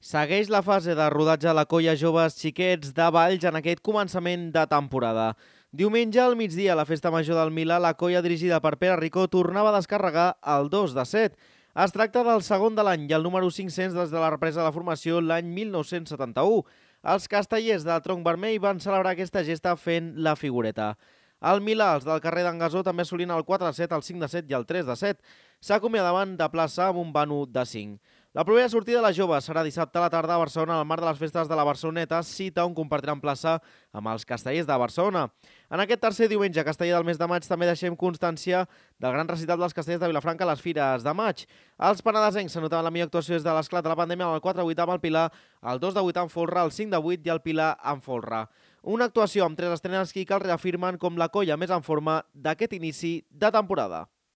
Segueix la fase de rodatge de la colla Joves Xiquets de Valls en aquest començament de temporada. Diumenge al migdia, a la festa major del Milà, la colla dirigida per Pere Ricó tornava a descarregar el 2 de 7. Es tracta del segon de l'any i el número 500 des de la represa de la formació l'any 1971. Els castellers del Tronc Vermell van celebrar aquesta gesta fent la figureta. Al Milà, els del carrer d'en Gasó també assolint el 4 de 7, el 5 de 7 i el 3 de 7. S'acomiadaven de plaça amb un vano de 5. La propera sortida de la jove serà dissabte a la tarda a Barcelona al marc de les festes de la Barceloneta, cita on compartiran plaça amb els castellers de Barcelona. En aquest tercer diumenge casteller del mes de maig també deixem constància del gran recital dels castellers de Vilafranca a les Fires de maig. Els penedesencs s'anotaven la millor actuació des de l'esclat de la pandèmia amb el 4-8 amb el Pilar, el 2-8 amb Folra, el 5-8 i el Pilar amb Folra. Una actuació amb 3 estrenes que cal reafirmen com la colla més en forma d'aquest inici de temporada.